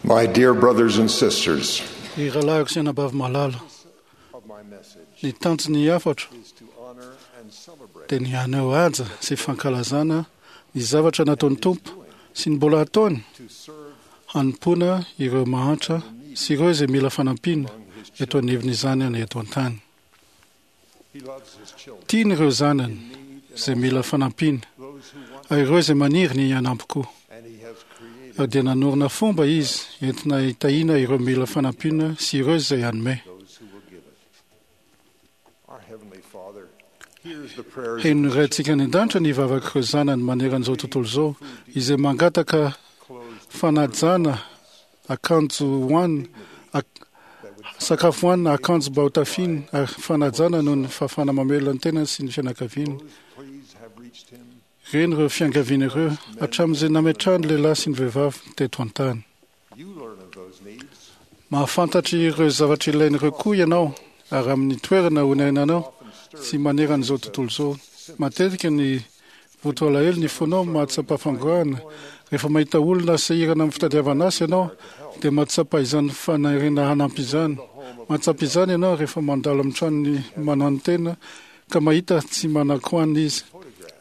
My dear brothers and sisters, Ry rahalahiko sy anabavy malala, of my message ny tanjon'ny hafatro is to honor and celebrate dia ny haneho haja sy fankalazana ny zavatra nataon'ny Tompo sy ny mbola hataony to serve hanompoana ireo mahantra sy ireo izay mila fanampiana eto anivon'izany any eto an-tany. He loves his children. Tiany ireo zanany izay mila fanampiana Those who want ary ireo izay maniry ny hanampy koa. and he has created Ary dia nanorina fomba izy entina hitahiana ireo mila fanampiana sy ireo izay hanome. those who will give it. Our Heavenly Father hears the prayers Heno of ny Raintsika any an-danitra ny vavak'ireo zanany maneran'izao tontolo izao izay mangataka closed fanajana akanjo hohanina, ak- sakafo hohanina, akanjo mba ho tafiana ary fanajana noho ny fahafahana mamelona ny tenany sy ny fianakaviany. Those pleas have reached him. Reny ireo fiangaviana ireo hatramin'izay nametrahany lehilahy sy ny vehivavy teto an-tany. You learn of those needs. Mahafantatra ireo zavatra ilain'ireo koa ianao ary amin'ny toerana honenanao sy maneran'izao tontolo izao. Matetika ny voto alahelo ny fonao mahatsapa fangorahana. Rehefa mahita olona sahirana amin'ny fitadiavana asa ianao dia mahatsapa izany faniriana hanampy izany. Mahatsapa izany ianao rehefa mandalo amin'ny tranony mananotena ka mahita tsy manan-kohanina izy.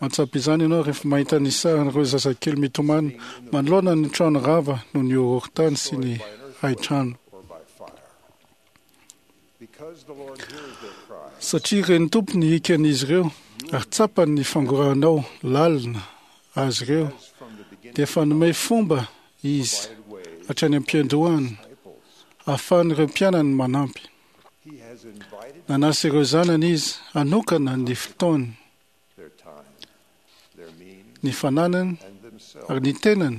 Mahatsapa izany ianao rehefa mahita ny sarin'ireo zazakely mitomany manoloana ny trano rava noho ny horohorontany sy ny hain-trano. Or by fire. Because the Lord hears their cries, Satria ren'ny Tompo ny hikan'izy ireo ary tsapany ny fangorahanao lalina azy ireo as from the beginning dia efa nomey fomba izy provided ways hatrany am-piandohana disciples. ahafahan'ireo mpianany manampy. He has invited Nanasa ireo zanany izy hanokana ny fotoany, their time, their means, ny fananany and themselves ary ny tenany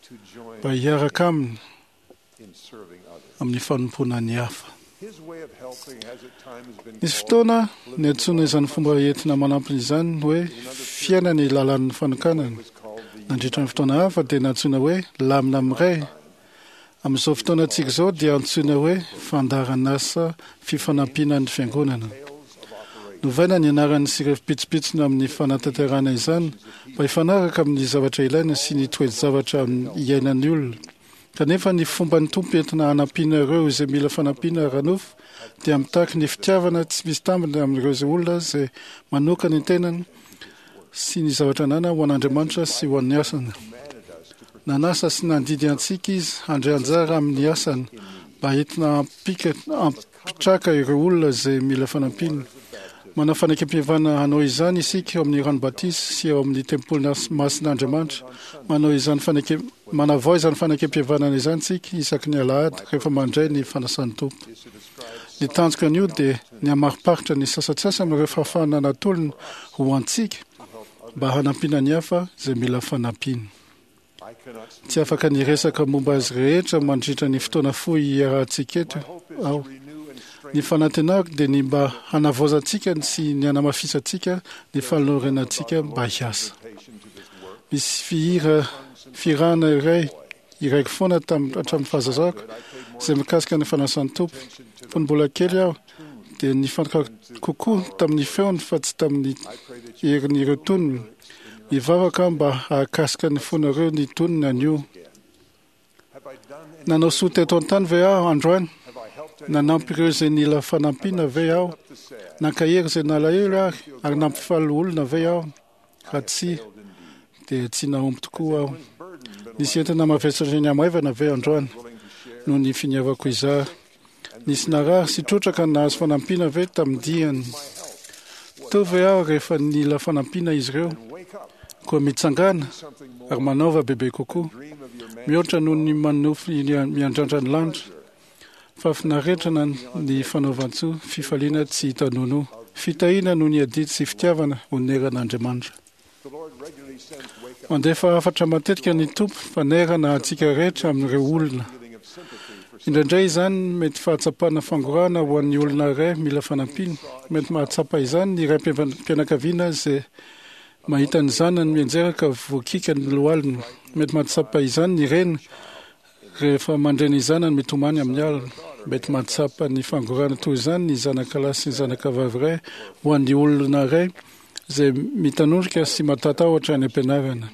to join mba hiaraka aminy in serving others. amin'ny fanompoana ny hafa. His way of helping has at times been Nisy called fotoana niantsoana izany fomba entina manampiny izany hoe fiainana ny lalàn'ny fanokanana. was called the Nandritra ny fotoana hafa dia nantsoina hoe lamina miray. Amin'izao fotoana antsika izao dia antsoina hoe fandaharan'asa fifanampiana ny fiangonana. tales of operation. Novaina ny anarany sy ireo pitsopitsony amin'ny fanatanterahana izany mba hifanaraka amin'ny zavatra ilaina sy ny toe-javatra iainan'ny olona. Kanefa ny fomban'ny Tompo entina hanampiana ireo izay mila fanampiana ara-nofo dia mitaky ny fitiavana tsy misy tambiny amin'ireo izay olona izay manokana ny tenany sy ny zavatra ananany ho an'Andriamanitra sy ho an'ny asany. Commanded us to Nanasa sy nandidy antsika izy handray anjara amin'ny asany mba entina hampika- hampitraka ireo olona izay mila fanampiana. Manao fanekempihavana hanao izany isika eo amin'ny rano batisa sy eo amin'ny tempoly nas- masin'Andriamanitra. Manao izany faneke manavao izany fanekempihavanana izany isika isaky ny alahady rehefa mandray ny fanasan'ny Tompo. is to describe Ny tanjoko anio dia ny hamariparitra ny sasantsasany amin'ireo fahafahana natolony ho antsika mba hanampiana ny hafa izay mila fanampiana. I cannot speak. Tsy afaka niresaka momba azy rehetra mandritra ny fotoana fohy iarahantsika eto My hope is aho. to renew and Ny strengthen fanantenako dia ny mba hanavaozantsika sy ny hanamafisantsika ny fanorenantsika mba hiasa. invitation to this work. Misy fihira fihirana iray iraiko foana tam- hatramin'ny fahazazako izay mikasika ny fanasan'ny Tompo. Fony mbola kely aho dia nifantoka kokoa tamin'ny feony fa tsy tamin'ny I pray that you herin'ireo tonony. Mivavaka aho mba hahakasika ny fonareo ny tonony anio. have I done any Nanao soa teto an-tany ve aho androany? have I helped anyone Nanampy ireo izay nila fanampiana ve aho? up the sad? Nankahery izay nalahelo ary ary nampifaly olona ve aho? Raha tsia, Failed indeed. dia tsy nahomby tokoa aho. One's burden been Nisy entana mavesatra ny hamaivana ve androany willing to share noho ny finiavako izaho? Nisy narary sy trotraka nahazo fanampiana ve tamin'ny diany? my help Teo ve aho rehefa nila fanampiana izy ireo? and wake up Koa mitsangana something more. ary manaova bebe kokoa. Dream of your man Mihoatra noho ny manofy miandrandra ny lanitra. Fahafinaretana ny fanaovan-tsoa, fifaliana tsy hita nono. Fitahiana noho ny adidy sy fitiavana oneran'Andriamanitra. The Lord regularly sends wake up Mandefa hafatra matetika ny Tompo fanerana antsika rehetra amin'ireo olona. feeling of sympathy for Indraindray izany mety fahatsapana fangorahana ho an'ny olona iray mila fanampiana. Mety mahatsapa izany ny raim-pianakaviana izay mahita ny zanany mianjera ka voakiaka ny lohaliny. Mety mahatsapa izany ny reny rehefa mandre ny zanany mitomany amin'ny alina. Mety mahatsapa ny fangorahana toy izany ny zanakalahy sy ny zanakavavy iray ho an'ny olona iray izay mitanondrika sy matatahotra any am-pianarana.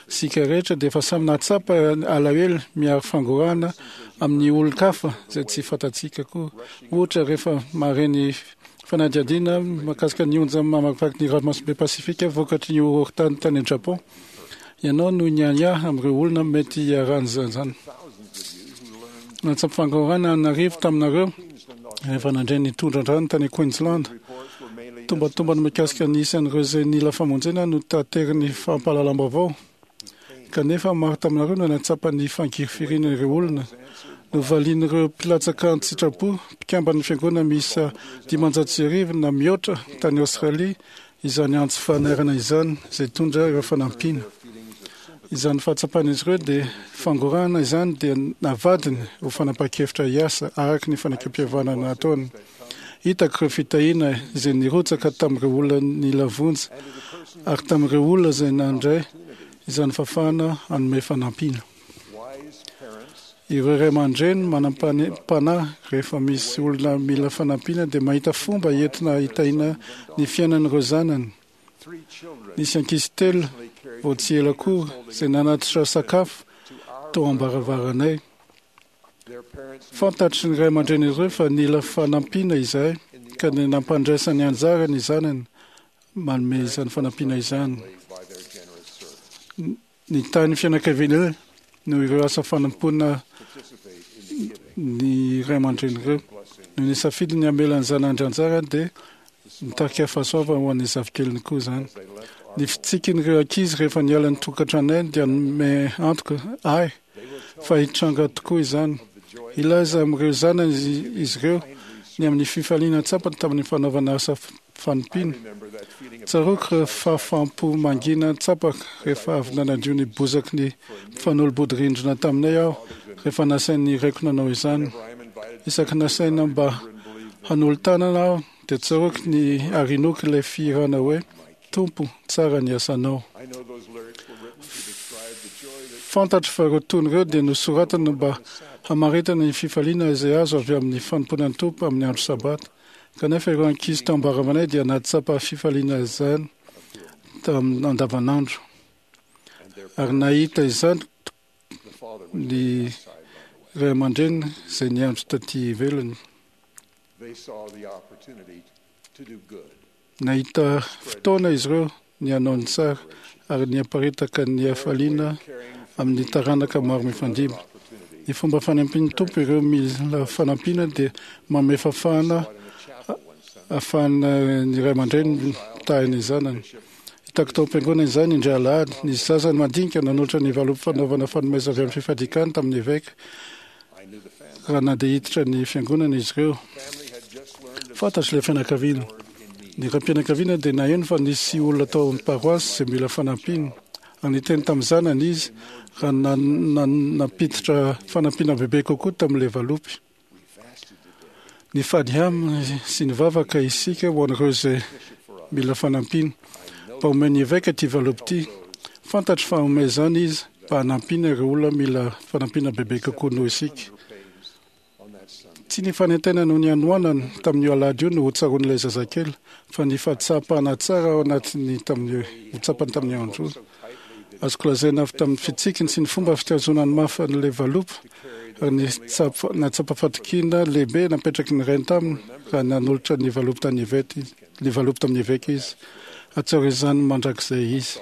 Isika rehetra dia efa samy nahatsapa alahelo miaro fangorahana amin'ny olon-kafa izay tsy fantatsika koa. Ohatra, rehefa mahare ny fanadihadiana mahakasika ny onja mamakivaky ny ranomasimbe Pasifika vokatry ny horohorontany tany Japon, ianao no niahiahy amin'ireo olona mety hiharan'izany. Nahatsapa fangorahana an'arivo taminareo rehefa nandre ny tondra-drano tany Queensland. Tombatombana mikasika ny isan'ireo izay nila famonjena no taterin'ny fampahalalam-baovao. Kanefa maro taminareo no nahatsapa ny fangirifiriana ireo olona. Novalian'ireo mpilatsaka an-tsitrapo, mpikamban'ny fiangonana miisa 1500 na mihoatra tany Aostralia izany antso fanairana izany, izay nitondra ireo fanampiana. Izany fahatsapan'izy ireo dia fangorahana izany dia navadiny ho fanapahan-kevitra hiasa araka ny fanekempihavanana nataony. Hitako ireo fitahiana izay nirotsaka tamin'ireo olona nila vonjy ary tamin'ireo olona izay nandray izany fahafahana hanome fanampiana. Ireo ray aman-dreny manam-panahy rehefa misy olona mila fanampiana dia mahita fomba entina hitahiana ny fiainan'ireo zanany. Nisy ankizy telo vao tsy ela akory izay nanatitra sakafo tao am-baravaranay. Fantatry ny ray aman-dreny ireo fa nila fanampiana izahay ka ny nampandraisany anjara ny zanany manome izany fanampiana izany. Nitahy ny fianakaviana noho ireo asa fanompoana ny ray aman-dreny ireo. Noho ny safidy ny hamela ny zanany anjara dia nitarika fahasoavana ho an'ny zafikeliny koa izany. Ny fitsikin'ireo ankizy rehefa niala ny tokantranonay dia nanome antoka ahy fa hitranga tokoa izany. Hilaza amin'ireo zanany izy ireo ny amin'ny fifaliana tsapany tamin'ny fanaovana asa fanompiana. Tsaroako ireo fahafaham-po mangina tsapako rehefa avy nanadio ny bozaky ny mpifanolo-bodirindrina taminay aho rehefa nasain'ny raiko nanao izany. Isaky nasaina mba hanolo-tanana aho dia tsaroako ny ary inoako ilay fihirana hoe Tompo, tsara ny asanao. Fantatro fa ireo tony ireo dia nosoratana mba hamaritana ny fifaliana izay azo avy amin'ny fanompoana ny Tompo amin'ny andro Sabata. Kanefa ireo ankizy tao am-baravanay dia nahatsapa fifaliana izany tamin'ny andavanandro. Ary nahita izany ny ray aman-dreny izay niandry taty ivelany. Nahita fotoana izy ireo ny hanao ny tsara ary niaparitaka ny hafaliana amin'ny taranaka maro mifandimby. Ny fomba fanampian'ny Tompo ireo mila fanampiana dia manome fahafahana ahafahana ny ray aman-dreny mitahy ny zanany. Hitako tao am-piangonana izany indray alahady. Nisy zaza madinika nanolotra ny valopy fanaovana fanomezana avy amin'ny fifadian-kanina tamin'ny eveka raha nandeha hiditra ny fiangonana izy ireo. Fantatro ilay fianakaviana. Ny raim-pianakaviana dia naheno fa nisy olona tao amin'ny paroasy izay mila fanampiana. Ary niteny tamin'ny zanany izy raha nampiditra fanampiana bebe kokoa tamin'ilay valopy. Nifady aminy sy nivavaka isika ho an'ireo izay mila fanampiana. Mba omen'ny eveka ity valopy ity. Fantatro fa hanome izany izy mba hanampiana ireo olona mila fanampiana bebe kokoa noho isika. Tsy ny fanentanana noho ny hanoanana tamin'io alahady io no hotsaroan'ilay zazakely, fa ny fahatsapana tsara ao anatin'ny tamin'io ho tsapany tamin'io andro io. Azoko lazaina avy tamin'ny fitsikiny sy ny fomba fitazonany mafy an'ilay valopy ary ny nahatsapa fatokiana lehibe napetraky ny rainy taminy raha nanolotra ny valopy tany eveka izy, ny valopy tamin'ny eveka izy. Hahatsiaro izany mandrakizay izy.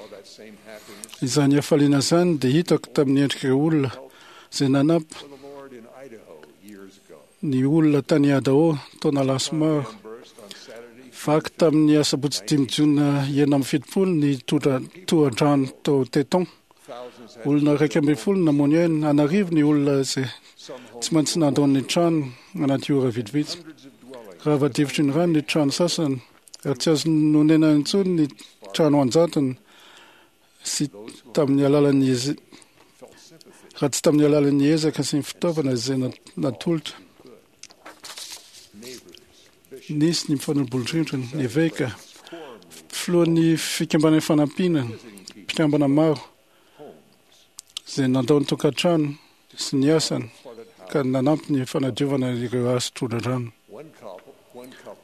Izany hafaliana izany dia hitako tamin'ny endrik'ireo olona izay nanampy ny olona tany Idaho taona lasa maro. Vaky tamin'ny asabotsy 5 jona 76 ny tohadrano tao Teton. Olona 11 namoy aina, an'arivo ny olona izay tsy maintsy nandao ny trano anaty ora vitsivitsy. Rava difotry ny rano ny trano sasany ary tsy azo nonenana intsony ny trano an-jatony sy tamin'ny alalan'ny raha tsy tamin'ny alalan'ny ezaka sy ny fitaovana izay natolotra. Nisy ny mpifanolo-bolondrindrina, ny eveka, filohan'ny fikambanan'ny fanampiana, mpikambana maro izay nandao ny tokantrano sy ny asany ka nanampy ny fanadiovana ireo hazo tondra-drano.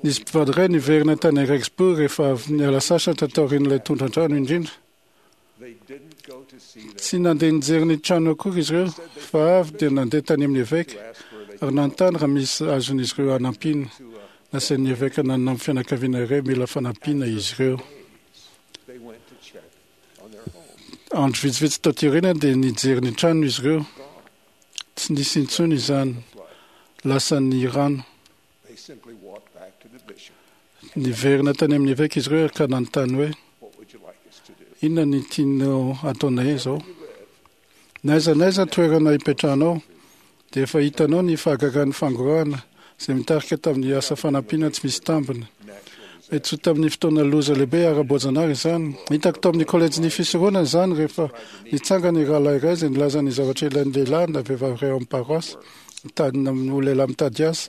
Nisy mpivady iray niverina tany Rexburg rehefa avy niala sasatra taorian'ilay tondra-drano indrindra. Tsy nandeha nijery ny trano akory izy ireo fa avy dia nandeha tany amin'ny eveka ary nanontany raha misy azon'izy ireo hanampiana. Nasain'ny eveka nanampy fianakaviana iray mila fanampiana izy ireo. Andro vitsivitsy taty aoriana dia nijery ny trano izy ireo. Tsy nisy intsony izany. Lasan'ny rano. Niverina tany amin'ny eveka izy ireo ka nanontany hoe, Inona ny tianao hataonay izao? Na aiza na aiza toerana ipetrahanao, dia efa hitanao ny fahagagan'ny fangorahana izay mitarika tamin'ny asa fanampiana tsy misy tambiny. Mety tsy ho tamin'ny fotoana loza lehibe ara-boajanahary izany. Hitako tao amin'ny kolejin'ny fisoronana izany rehefa nitsangana i rahalahy iray izay nilaza ny zavatra ilain'ny lehilahy na vehivavy iray ao amin'ny paroasy, mitady ho lehilahy mitady asa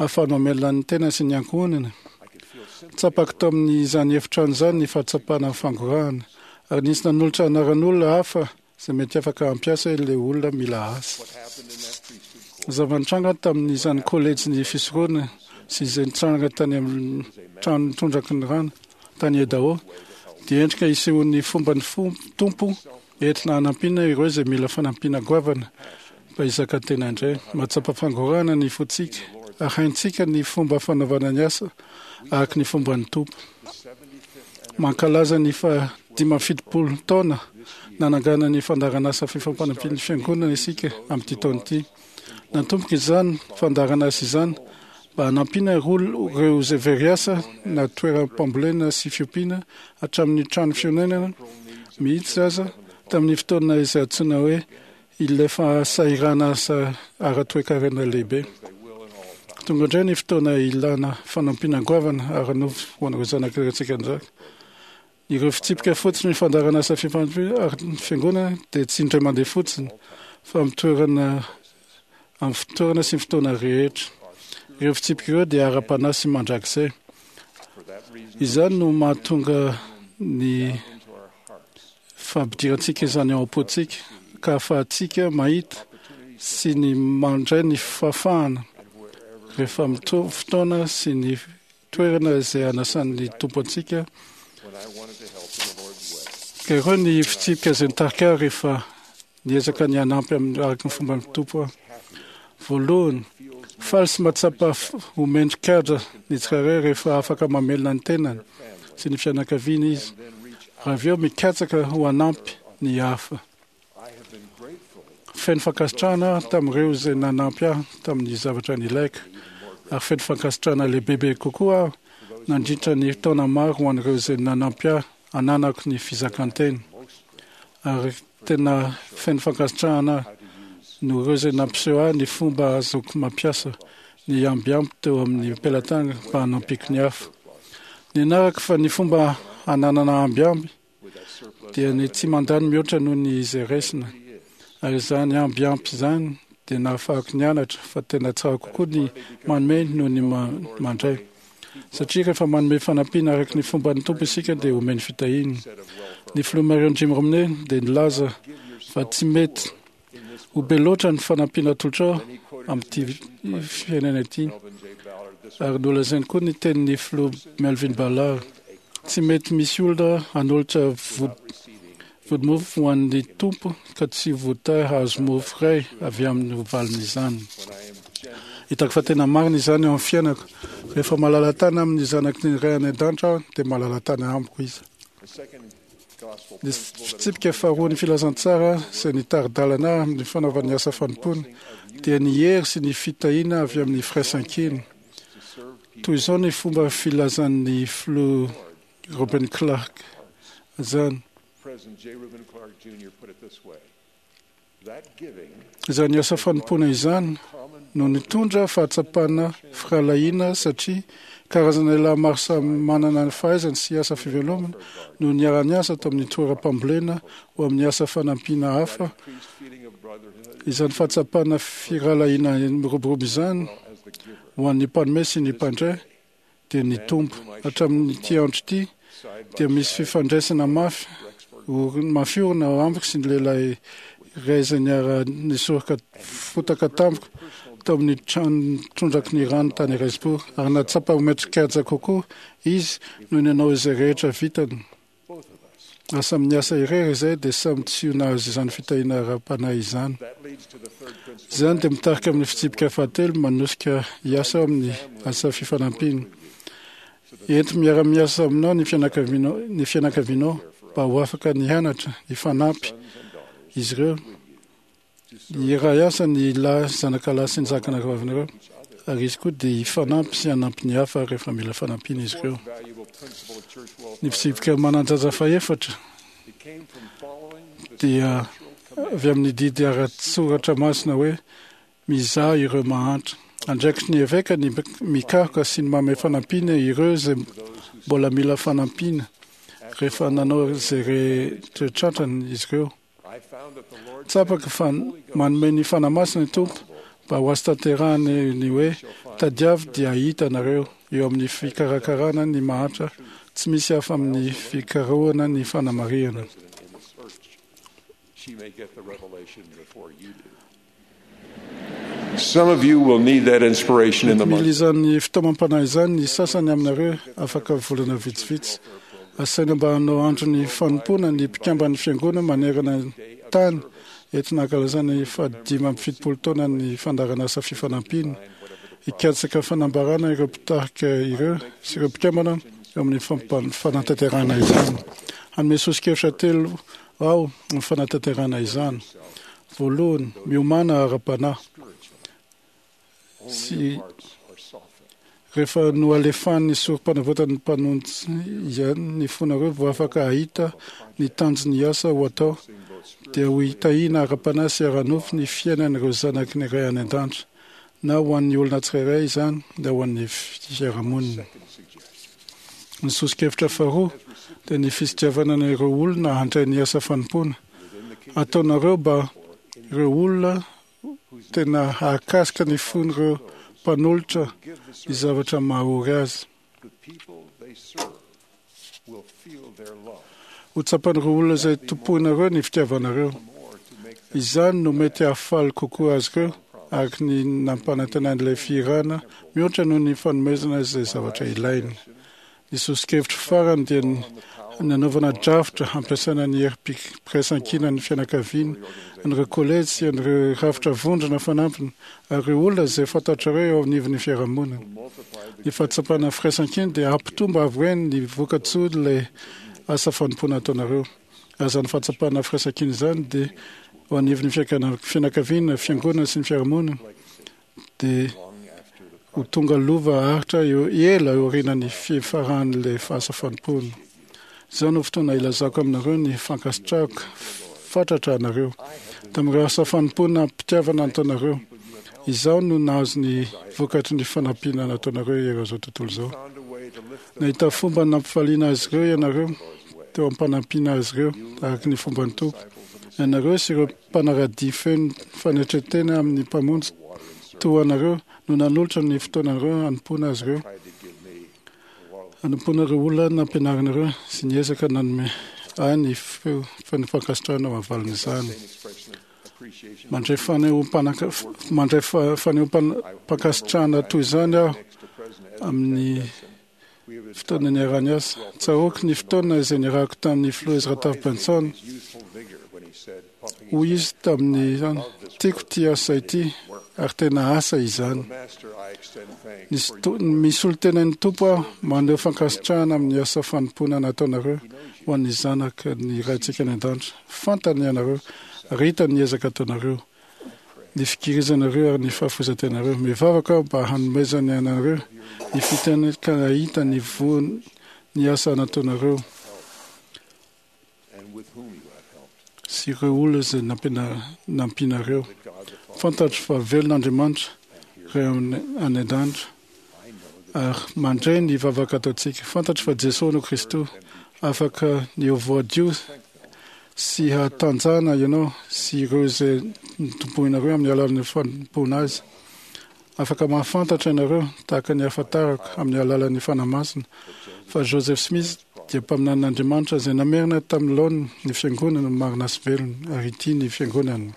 ahafahany mamelona ny tenany sy ny ankohonany. Tsapako tao amin'izany efitrano izany ny fahatsapana ny fangorahana, ary nisy nanolotra anaran'olona hafa izay mety afaka hampiasa ilay olona mila asa. Zava-nitranga tamin'izany kolejin'ny fisoronana sy izay nitranga tany amin'ny trano tondraky ny rano tany Idaho dia endrika isehoan'ny fomban'ny Tompo entina hanampiana ireo izay mila fanampiana goavana mba hizaka tena indray. Mahatsapa fangorahana ny fontsika ary haintsika ny fomba fanaovana ny asa araka ny fomban'ny Tompo. Mankalaza ny faha 75 taona nanangana ny fandaharanasa fifampanampian'ny Fiangonana isika amin'ity taona ity. Natomboka izany fandaharanasa izany mba hanampiana ireo izay very asa na toeram-pambolena sy fiompiana hatramin'ny trano fionenana mihitsy aza tamin'ny fotoana izay antsoina hoe ilay fahasahiranana ara-toekarena lehibe. Tonga indray ny fotoana ilana fanampiana goavana ara-nofo ho an'ireo zanak'ireo antsika. Ireo fitsipika fotsiny ny fandaharanasa fifanampiana ary ny fiangonana dia tsy indray mandeha fotsiny fa amin'ny toerana amin'ny fotoana sy ny fotoana rehetra. Ireo fitsipika ireo dia ara-panahy sy mandrakizay. Izany no mahatonga ny fampidirantsika izany ao am-pontsika ka ahafahantsika mahita sy ny mandray ny fahafahana rehefa mitovy fotoana sy ny toerana izay anasan'ny Tompo antsika. Ka ireo ny fitsipika izay nitarika ahy rehefa niezaka ny hanampy amin'ny araka ny fomban'ny Tompo aho. Voalohany, faly sy mahatsapa ho mendri-kaja ny tsirairay rehefa afaka mamelona ny tenany sy ny fianakaviany izy, ary avy eo mikatsaka ho hanampy ny hafa. Feno fankasitrahana aho tamin'ireo izay nanampy ahy tamin'ny zavatra nilaiko, ary feno fankasitrahana lehibebe kokoa aho nandritra ny taona maro ho an'ireo izay nanampy ahy hananako ny fizakan-tena. Ary tena feno fankasitrahana aho noho ireo izay nampiseho ahy ny fomba ahazoako mampiasa ny ambiamby teo amin'ny pelatanana mba hanampiako ny hafa. Nianarako fa ny fomba hananana ambiamby dia ny tsy mandany mihoatra noho ny izay raisina. Ary izany ambiampy izany dia nahafahako nianatra fa tena tsara kokoa ny manome noho ny mandray. Satria rehefa manome fanampiana araka ny fomban'ny Tompo isika dia omeny fitahiana. Ny filoha Marion Jim Romney dia nilaza fa tsy mety ho be loatra ny fanampiana atolotrao amin'ity fiainana ity. Ary nolazainy koa ny tenin'ny filoha Melvin Ballard, tsy mety misy olona hanolotra vodimofo ho an'ny Tompo ka tsy voatahy hahazo mofo iray avy aminy ho valin'izany. Hitako fa tena marina izany eo amin'ny fiainako. Rehefa malala-tana amin'ny zanaky ny Ray any an-danitra aho, dia malala-tana amiko Izy. Ny fitsipika faharoan'ny filazantsara izay nitari-dalana ahy amin'ny fanaovana ny asa fanompoana dia ny hery sy ny fitahiana avy amin'ny firaisankina. Toy izao ny fomba filazan'ny filoha Reuben Clark izany. Izany asa fanompoana izany no nitondra fahatsapana firahalahiana satria karazana lehilahy maro samy manana ny fahaizany sy asa fivelomana no niara-niasa tao amin'ny toeram-pambolena ho amin'ny asa fanampiana hafa. Izany fahatsapana firahalahiana miroborobo izany ho an'ny mpanome sy ny mpandray dia nitombo. Hatramin'ity andro ity dia misy fifandraisana mafy mafy orina ao amiko sy ny lehilahy iray izay niara-nisoroka fotaka tamiko tao amin'ny trano tondraky ny rano tany Ricebourg, ary nahatsapa ho mendrikaja kokoa izy noho ny nanao izay rehetra vitany. Raha samy niasa irery izahay dia samy tsy ho nahazo izany fitahiana ara-panahy izany. Izany dia mitarika amin'ny fitsipika fahatelo manosika hiasa ao amin'ny asa fifanampiana. Ento miara-miasa aminao ny fianakavianao, ny fianakavianao mba ho afaka ny hianatra, hifanampy izy ireo. Hiray asa ny lahy zanakalahy sy ny zanakavavinareo, ary izy koa dia hifanampy sy hanampy ny hafa rehefa mila fanampiana izy ireo. Ny fitsipika manan-jaza fahefatra dia avy amin'ny didy ara-tsoratra masina hoe mizaha ireo mahantra. Andraikitry ny eveka ny mikaroka sy ny manome fanampiana ireo izay mbola mila fanampiana rehefa nanao izay rehetra tratrany izy ireo. Tsapako fa manome ny Fanahy Masina ny Tompo mba ho azo tanterahana ny hoe tadiavo dia hahita anareo eo amin'ny fikarakarana ny mahantra tsy misy hafa amin'ny fikarohana ny fanamarihana. Mety mila izany fitaomam-panahy izany ny sasany aminareo afaka volana vitsivitsy. Asaina mba hanao andron'ny fanompoana ny mpikamban'ny Fiangonana manerana ny tany entina hankalazana ny fahadimy amby 70 taonan'ny fandaharanasa fifanampiana. Hikatsaka fanambarana ireo mpitarika ireo sy ireo mpikambana eo amin'ny fanatanterahana izany. Hanome soso-kevitra telo aho amin'ny fanatanterahana izany. Voalohany, miomàna ara-panahy sy rehefa nohalefahan'ny sorom-panavotan'ny Mpamonjy ihany ny fonareo vao afaka hahita ny tanjon'ny asa ho atao, dia ho hitahiana ara-panahy sy ara-nofo ny fiainan'ireo zanaky ny Ray any An-danitra, na ho an'ny olona tsirairay izany na ho an'ny fiarahamonina. Ny soso-kevitra faharoa dia ny fisitriavana ireo olona handray ny asa fanompoana. Ataonareo mba ireo olona tena hahakasika ny fon'ireo mpanolotra ny zavatra mahaory azy. Ho tsapan'ireo olona izay tompoinareo ny fitiavanareo. Izany no mety hahafaly kokoa azy ireo, araka ny nampanantenan'ilay fihirana, mihoatra noho ny fanomezana izay zavatra ilainy. Ny soso-kevitro farany dia ny nanaovana drafitra hampiasana ny herim-piraisankinan'ny fianakaviana, an'ireo kolejy sy an'ireo rafitra vondrona fanampiny ary ireo olona izay fantatrareo eo anivon'ny fiarahamonina. Ny fahatsapana firaisankina dia hampitombo avo heny ny vokatsoan'ilay asa fanompoana ataonareo. Ary izany fahatsapana firaisankina izany dia eo anivon'ny fianakaviana, fiangonana sy ny fiarahamonina dia ho tonga lova haharitra eo ela aorianan'ny fifaran'ilay asa fanompoana. Izao no fotoana hilazako aminareo ny fankasitrahako fatratra anareo tamin'ireo asa fanompoana am-pitiavana nataonareo. Izaho no nahazo ny vokatry ny fanampiana nataonareo eran'izao tontolo izao. Nahita fomba nampifaliana azy ireo ianareo teo am-panampiana azy ireo araka ny fomban'ny Tompo. Ianareo sy ireo mpanara-dia feno fanetren-tena amin'ny Mpamonjy toa anareo no nanolotra ny fotoanareo hanompoana azy ireo, hanompoana ireo olona nampianarinareo sy niezaka nanome ahy ny feo feno fankasitrahana ho valin'izany. Mandray fanehoam-mandray fanehoam-pankasitrahana toy izany aho amin'ny fotoana niaraha-niasa. Tsaroako ny fotoana izay niarahako tamin'ny filoha Ezra Taft Benson. Hoy izy tamin'izany, Tiako ity asa ity, ary tena asa izany. Misolo tena ny Tompo aho, maneho fankasitrahana amin'ny asa fanompoana nataonareo ho an'ny zanaka ny Raintsika any an-danitra. Fantany ianareo, ary hitany ny ezaka ataonareo, ny fikirizanareo ary ny fahafoizan-tenareo. Mivavaka aho mba hanomezany anareo ny fiteny ka hahita ny voany ny asa nataonareo sy ireo olona izay nampianareo. Fantatro fa velona Andriamanitra, Ray any an-danitra, ary mandre ny vavaka ataontsika. Fantatro fa Jesoa no Kristy. Afaka ny ho voadio sy hatanjahana ianao sy ireo izay notompoinareo amin'ny alalan'ny fanompoana Azy. Afaka mahafantatra ianareo, tahaka ny ahafantarako amin'ny alalan'ny Fanahy Masina, fa Joseph Smith dia mpaminanin'Andriamanitra izay namerina tamin'ny laoniny ny Fiangonana marina sy velona, ary ity ny Fiangonana.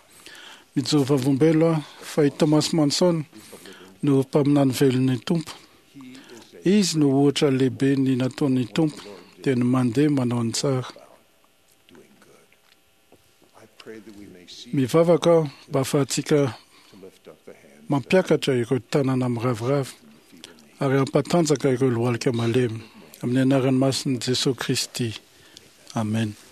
Mijoro vavolombelo aho fa i Thomas Monson no mpaminany velon'ny Tompo. Izy no ohatra lehibe ny nataon'ny Tompo, dia ny mandeha manao ny tsara. Mivavaka aho mba ahafahantsika mampiakatra ireo tanana miraviravy ary hampatanjaka ireo lohalika malemy. Amin'ny anaran'ny masin'i Jesoa Kristy. Amen.